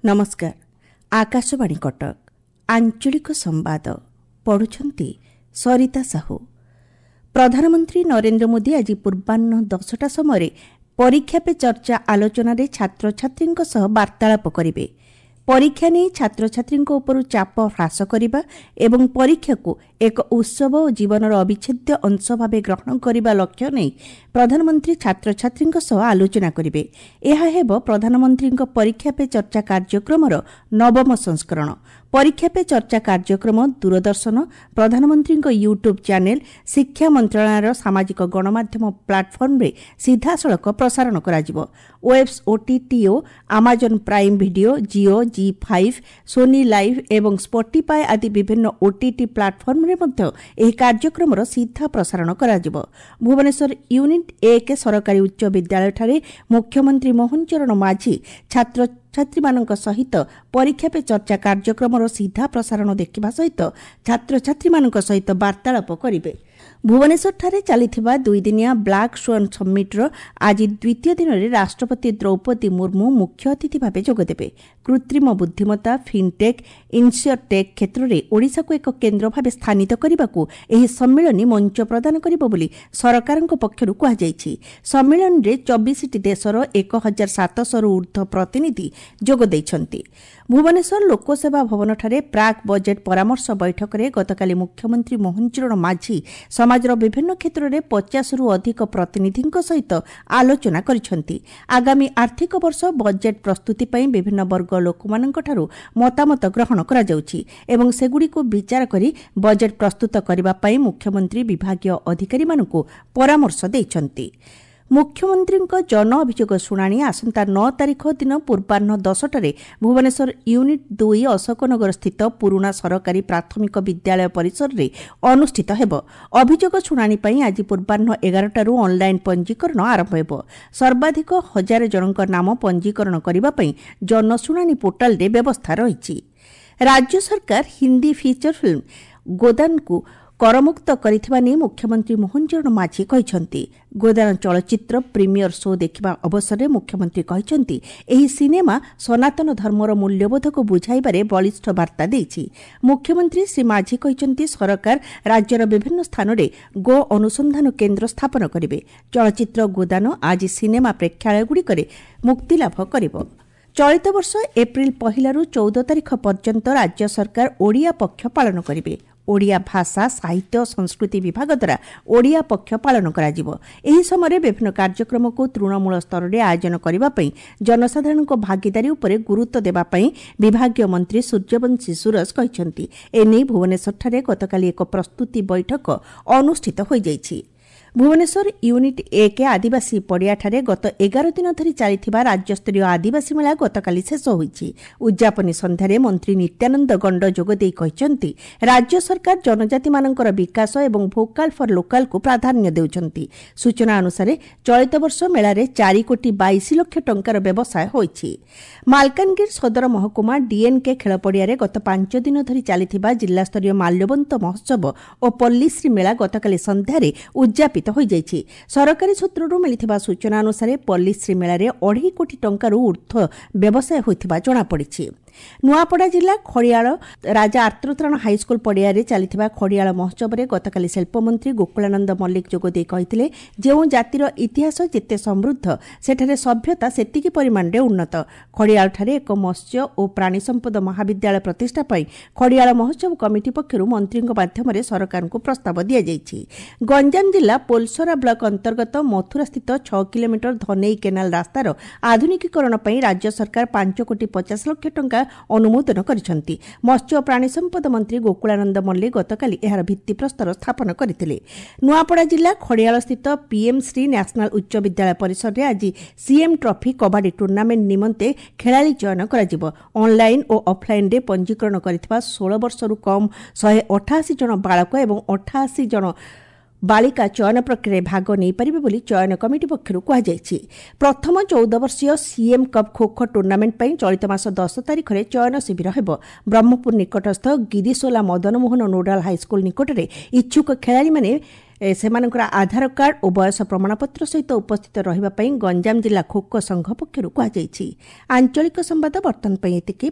ନମସ୍କାର, ଆକାଶବାଣୀ କଟକ, ଆଞ୍ଚଳିକ ସମ୍ବାଦ ପଢ଼ୁଛନ୍ତି ସରିତା ସାହୁ। ପ୍ରଧାନମନ୍ତ୍ରୀ ନରେନ୍ଦ୍ର ମୋଦି ଆଜି ପୂର୍ବାହ୍ନ 10ଟା ସମୟରେ ପରୀକ୍ଷା ପେ ଚର୍ଚ୍ଚା ଆଲୋଚନାରେ ଛାତ୍ରଛାତ୍ରୀଙ୍କ ସହ ବାର୍ତ୍ତାଳାପ କରିବେ। ପରୀକ୍ଷା ନେଇ ଛାତ୍ରଛାତ୍ରୀଙ୍କ ଉପରୁ ଚାପ ହ୍ରାସ କରିବା ଏବଂ ପରୀକ୍ଷାକୁ ଏକ ଉତ୍ସବ ଓ ଜୀବନର ଅବିଚ୍ଛେଦ୍ୟ ଅଂଶ ଭାବେ ଗ୍ରହଣ କରିବା ଲକ୍ଷ୍ୟ ନେଇ ପ୍ରଧାନମନ୍ତ୍ରୀ ଛାତ୍ରଛାତ୍ରୀଙ୍କ ସହ ଆଲୋଚନା କରିବେ। ଏହା ହେବ ପ୍ରଧାନମନ୍ତ୍ରୀଙ୍କ ପରୀକ୍ଷା ପେ ଚର୍ଚ୍ଚା କାର୍ଯ୍ୟକ୍ରମର ନବମ ସଂସ୍କରଣ। ପରୀକ୍ଷା ପେ ଚର୍ଚ୍ଚା କାର୍ଯ୍ୟକ୍ରମ ଦୂରଦର୍ଶନ, ପ୍ରଧାନମନ୍ତ୍ରୀଙ୍କ ୟୁଟ୍ୟୁବ୍ ଚ୍ୟାନେଲ୍, ଶିକ୍ଷା ମନ୍ତ୍ରଣାଳୟର ସାମାଜିକ ଗଣମାଧ୍ୟମ ପ୍ଲାଟଫର୍ମରେ ସିଧାସଳଖ ପ୍ରସାରଣ କରାଯିବ। ୱେବ୍ସ ଓଟିଟି ଓ Amazon Prime Video, Jio, Zee5, Sony Liv ଏବଂ ସ୍ପଟିଫାଏ ଆଦି ବିଭିନ୍ନ ଓଟିଟି ପ୍ଲାଟଫର୍ମରେ ମଧ୍ୟ ଏହି କାର୍ଯ୍ୟକ୍ରମର ସିଧା ପ୍ରସାରଣ କରାଯିବ। ଭୁବନେଶ୍ୱର ୟୁନିଟ୍ 1 ସରକାରୀ ଉଚ୍ଚ ବିଦ୍ୟାଳୟଠାରେ ମୁଖ୍ୟମନ୍ତ୍ରୀ ମୋହନ ଚରଣ ମାଝୀ ଛାତ୍ରଛାତ୍ରୀମାନଙ୍କ ସହିତ ପରୀକ୍ଷା ପେ ଚର୍ଚ୍ଚା କାର୍ଯ୍ୟକ୍ରମର ସିଧା ପ୍ରସାରଣ ଦେଖିବା ସହିତ ଛାତ୍ରଛାତ୍ରୀମାନଙ୍କ ସହିତ ବାର୍ତ୍ତାଳାପ କରିବେ। ଭୁବନେଶ୍ୱରଠାରେ ଚାଲିଥିବା ଦୁଇଦିନିଆ ବ୍ଲାକ୍ ସ୍ୱାନ୍ ସମିଟ୍ର ଆଜି ଦ୍ୱିତୀୟ ଦିନରେ ରାଷ୍ଟ୍ରପତି ଦ୍ରୌପଦୀ ମୁର୍ମୁ ମୁଖ୍ୟ ଅତିଥି ଭାବେ ଯୋଗଦେବେ। କୃତ୍ରିମ ବୁଦ୍ଧିମତ୍ତା, ଫିନ୍ଟେକ୍, ଇନ୍ସ୍ୟରଟେକ୍ କ୍ଷେତ୍ରରେ ଓଡ଼ିଶାକୁ ଏକ କେନ୍ଦ୍ର ଭାବେ ସ୍ଥାନିତ କରିବାକୁ ଏହି ସମ୍ମିଳନୀ ମଞ୍ଚ ପ୍ରଦାନ କରିବ ବୋଲି ସରକାରଙ୍କ ପକ୍ଷରୁ କୁହାଯାଇଛି। ସମ୍ମିଳନୀରେ 24ଟି ଦେଶର 1700ରୁ ଊର୍ଦ୍ଧ୍ୱ ପ୍ରତିନିଧି ଯୋଗ ଦେଇଛନ୍ତି। ଭୁବନେଶ୍ୱର ଲୋକସେବା ଭବନଠାରେ ପ୍ରାକ୍ ବଜେଟ୍ ପରାମର୍ଶ ବୈଠକରେ ଗତକାଲି ମୁଖ୍ୟମନ୍ତ୍ରୀ ମୋହନ ଚରଣ ମାଝୀ ସମାଜର ବିଭିନ୍ନ କ୍ଷେତ୍ରରେ 50ରୁ ଅଧିକ ପ୍ରତିନିଧିଙ୍କ ସହିତ ଆଲୋଚନା କରିଛନ୍ତି। ଆଗାମୀ ଆର୍ଥିକ ବର୍ଷ ବଜେଟ୍ ପ୍ରସ୍ତୁତି ପାଇଁ ବିଭିନ୍ନ ବର୍ଗ ଲୋକମାନଙ୍କଠାରୁ ମତାମତ ଗ୍ରହଣ କରାଯାଉଛି ଏବଂ ସେଗୁଡ଼ିକୁ ବିଚାର କରି ବଜେଟ୍ ପ୍ରସ୍ତୁତ କରିବା ପାଇଁ ମୁଖ୍ୟମନ୍ତ୍ରୀ ବିଭାଗୀୟ ଅଧିକାରୀମାନଙ୍କୁ ପରାମର୍ଶ ଦେଇଛନ୍ତି। ମୁଖ୍ୟମନ୍ତ୍ରୀଙ୍କ ଜନ ଅଭିଯୋଗ ଶୁଣାଣି ଆସନ୍ତା 9 ତାରିଖ ଦିନ ପୂର୍ବାହ୍ନ 10ଟାରେ ଭୁବନେଶ୍ୱର ୟୁନିଟ୍ 2 ଅଶୋକନଗର ସ୍ଥିତ ପୁରୁଣା ସରକାରୀ ପ୍ରାଥମିକ ବିଦ୍ୟାଳୟ ପରିସରରେ ଅନୁଷ୍ଠିତ ହେବ। ଅଭିଯୋଗ ଶୁଣାଣି ପାଇଁ ଆଜି ପୂର୍ବାହ୍ନ 11ଟାରୁ ଅନ୍ଲାଇନ୍ ପଞ୍ଜୀକରଣ ଆରମ୍ଭ ହେବ। ସର୍ବାଧିକ 1000 ଜଣଙ୍କ ନାମ ପଞ୍ଜୀକରଣ କରିବା ପାଇଁ ଜନଶୁଣାଣି ପୋର୍ଟାଲରେ ବ୍ୟବସ୍ଥା ରହିଛି। ରାଜ୍ୟ ସରକାର ହିନ୍ଦୀ ଫିଚର ଫିଲ୍ମ ଗୋଦାନକୁ କରମୁକ୍ତ କରିଥିବା ନେଇ ମୁଖ୍ୟମନ୍ତ୍ରୀ ମୋହନ ଚରଣ ମାଝୀ କହିଛନ୍ତି। ଗୋଦାନ ଚଳଚ୍ଚିତ୍ର ପ୍ରିମିୟର ଶୋ ଦେଖିବା ଅବସରରେ ମୁଖ୍ୟମନ୍ତ୍ରୀ କହିଛନ୍ତି, ଏହି ସିନେମା ସନାତନ ଧର୍ମର ମୂଲ୍ୟବୋଧକୁ ବୁଝାଇବାରେ ବଳିଷ୍ଠ ବାର୍ତ୍ତା ଦେଇଛି। ମୁଖ୍ୟମନ୍ତ୍ରୀ ଶ୍ରୀ ମାଝୀ କହିଛନ୍ତି, ସରକାର ରାଜ୍ୟର ବିଭିନ୍ନ ସ୍ଥାନରେ ଗୋ ଅନୁସନ୍ଧାନ କେନ୍ଦ୍ର ସ୍ଥାପନ କରିବେ। ଚଳଚ୍ଚିତ୍ର ଗୋଦାନ ଆଜି ସିନେମା ପ୍ରେକ୍ଷାଳୟଗୁଡ଼ିକରେ ମୁକ୍ତିଲାଭ କରିବ। ଚଳିତ ବର୍ଷ ଏପ୍ରିଲ 1ରୁ 14 ତାରିଖ ପର୍ଯ୍ୟନ୍ତ ରାଜ୍ୟ ସରକାର ଓଡ଼ିଆ ପକ୍ଷ ପାଳନ କରିବେ। ଓଡ଼ିଆ ଭାଷା, ସାହିତ୍ୟ ଓ ସଂସ୍କୃତି ବିଭାଗ ଦ୍ୱାରା ଓଡ଼ିଆ ପକ୍ଷ ପାଳନ କରାଯିବ। ଏହି ସମୟରେ ବିଭିନ୍ନ କାର୍ଯ୍ୟକ୍ରମକୁ ତୃଣମୂଳ ସ୍ତରରେ ଆୟୋଜନ କରିବା ପାଇଁ ଜନସାଧାରଣଙ୍କ ଭାଗିଦାରୀ ଉପରେ ଗୁରୁତ୍ୱ ଦେବା ପାଇଁ ବିଭାଗୀୟ ମନ୍ତ୍ରୀ ସୂର୍ଯ୍ୟବଂଶୀ ସୂରଜ କହିଛନ୍ତି। ଏନେଇ ଭୁବନେଶ୍ୱରଠାରେ ଗତକାଲି ଏକ ପ୍ରସ୍ତୁତି ବୈଠକ ଅନୁଷ୍ଠିତ ହୋଇଯାଇଛି। ଭୁବନେଶ୍ୱର ୟୁନିଟ୍ 1 ଆଦିବାସୀ ପଡ଼ିଆଠାରେ ଗତ 11 ଦିନ ଧରି ଚାଲିଥିବା ରାଜ୍ୟସ୍ତରୀୟ ଆଦିବାସୀ ମେଳା ଗତକାଲି ଶେଷ ହୋଇଛି। ଉଦ୍ଯାପନୀ ସନ୍ଧ୍ୟାରେ ମନ୍ତ୍ରୀ ନିତ୍ୟାନନ୍ଦ ଗଣ୍ଡ ଯୋଗଦେଇ କହିଛନ୍ତି, ରାଜ୍ୟ ସରକାର ଜନଜାତିମାନଙ୍କର ବିକାଶ ଏବଂ ଭୋକାଲ୍ ଫର୍ ଲୋକାଲ୍କୁ ପ୍ରାଧାନ୍ୟ ଦେଉଛନ୍ତି। ସୂଚନା ଅନୁସାରେ ଚଳିତ ବର୍ଷ ମେଳାରେ 4 କୋଟି 22 ଲକ୍ଷ ଟଙ୍କାର ବ୍ୟବସାୟ ହୋଇଛି। ମାଲକାନଗିରି ସଦର ମହକୁମା ଡିଏନ୍କେ ଖେଳପଡ଼ିଆରେ ଗତ 5 ଦିନ ଧରି ଚାଲିଥିବା ଜିଲ୍ଲାସ୍ତରୀୟ ମାଲ୍ୟବନ୍ତ ମହୋତ୍ସବ ଓ ପଲ୍ଲୀଶ୍ରୀ ମେଳା ଗତକାଲି ସନ୍ଧ୍ୟାରେ ଉଦ୍ଯାପିତ ହୋଇଯାଇଛି। ସରକାରୀ ସୂତ୍ରରୁ ମିଳିଥିବା ସୂଚନା ଅନୁସାରେ ପଲ୍ଲୀଶ୍ରୀ ମେଳାରେ 2.5 କୋଟି ଟଙ୍କାରୁ ଊର୍ଦ୍ଧ୍ୱ ବ୍ୟବସାୟ ହୋଇଥିବା ଜଣାପଡ଼ିଛି। ନୂଆପଡ଼ା ଜିଲ୍ଲା ଖଡ଼ିଆଳ ରାଜା ଆର୍ତ୍ତତ୍ରାଣ ହାଇସ୍କୁଲ ପଡ଼ିଆରେ ଚାଲିଥିବା ଖଡ଼ିଆଳ ମହୋତ୍ସବରେ ଗତକାଲି ଶିଳ୍ପମନ୍ତ୍ରୀ ଗୋକୁଳାନନ୍ଦ ମଲ୍ଲିକ ଯୋଗଦେଇ କହିଥିଲେ, ଯେଉଁ ଜାତିର ଇତିହାସ ଯେତେ ସମୃଦ୍ଧ, ସେଠାରେ ସଭ୍ୟତା ସେତିକି ପରିମାଣରେ ଉନ୍ନତ। ଖଡ଼ିଆଳଠାରେ ଏକ ମତ୍ସ୍ୟ ଓ ପ୍ରାଣୀ ସମ୍ପଦ ମହାବିଦ୍ୟାଳୟ ପ୍ରତିଷ୍ଠା ପାଇଁ ଖଡ଼ିଆଳ ମହୋତ୍ସବ କମିଟି ପକ୍ଷରୁ ମନ୍ତ୍ରୀଙ୍କ ମାଧ୍ୟମରେ ସରକାରଙ୍କୁ ପ୍ରସ୍ତାବ ଦିଆଯାଇଛି। ଗଞ୍ଜାମ ଜିଲ୍ଲା ପୋଲସରା ବ୍ଲକ ଅନ୍ତର୍ଗତ ମଥୁରାସ୍ଥିତ 6 କିଲୋମିଟର ଧନେଇ କେନାଲ ରାସ୍ତାର ଆଧୁନିକୀକରଣ ପାଇଁ ରାଜ୍ୟ ସରକାର 5 କୋଟି 50 ଲକ୍ଷ ଟଙ୍କା ଅନୁମୋଦନ କରିଛନ୍ତି। ମତ୍ସ୍ୟ ଓ ପ୍ରାଣୀ ସମ୍ପଦ ମନ୍ତ୍ରୀ ଗୋକୁଳାନନ୍ଦ ମଲ୍ଲିକ ଗତକାଲି ଏହାର ଭିତ୍ତିପ୍ରସ୍ତର ସ୍ଥାପନ କରିଥିଲେ। ନୂଆପଡ଼ା ଜିଲ୍ଲା ଖଡ଼ିଆଳସ୍ଥିତ ପିଏମ୍ ଶ୍ରୀ ନ୍ୟାସନାଲ ଉଚ୍ଚ ବିଦ୍ୟାଳୟ ପରିସରରେ ଆଜି ସିଏମ୍ ଟ୍ରଫି କବାଡି ଟୁର୍ଣ୍ଣାମେଣ୍ଟ ନିମନ୍ତେ ଖେଳାଳି ଚୟନ କରାଯିବ। ଅନ୍ଲାଇନ୍ ଓ ଅଫ୍ଲାଇନ୍ରେ ପଞ୍ଜୀକରଣ କରିଥିବା 16 ବର୍ଷରୁ କମ୍ 188 ଜଣ ବାଳକ ଏବଂ 88 ଜଣ ବାଳିକା ଚୟନ ପ୍ରକ୍ରିୟାରେ ଭାଗ ନେଇପାରିବେ ବୋଲି ଚୟନ କମିଟି ପକ୍ଷରୁ କୁହାଯାଇଛି। ପ୍ରଥମ 14 ବର୍ଷୀୟ ସିଏମ୍ କପ୍ ଖୋଖୋ ଟୁର୍ଣ୍ଣାମେଣ୍ଟ ପାଇଁ ଚଳିତ ମାସ 10 ତାରିଖରେ ଚୟନ ଶିବିର ହେବ। ବ୍ରହ୍ମପୁର ନିକଟସ୍ଥ ଗିରିସୋଲା ମଦନମୋହନ ନୋଡାଲ ହାଇସ୍କୁଲ ନିକଟରେ ଇଚ୍ଛୁକ ଖେଳାଳିମାନେ ସେମାନଙ୍କର ଆଧାର କାର୍ଡ ଓ ବୟସ ପ୍ରମାଣପତ୍ର ସହିତ ଉପସ୍ଥିତ ରହିବା ପାଇଁ ଗଞ୍ଜାମ ଜିଲ୍ଲା ଖୋଖୋ ସଂଘ ପକ୍ଷରୁ କୁହାଯାଇଛି। ଆଞ୍ଚଳିକ ସମ୍ବାଦ ବର୍ତ୍ତମାନ ପାଇଁ ଏତିକି।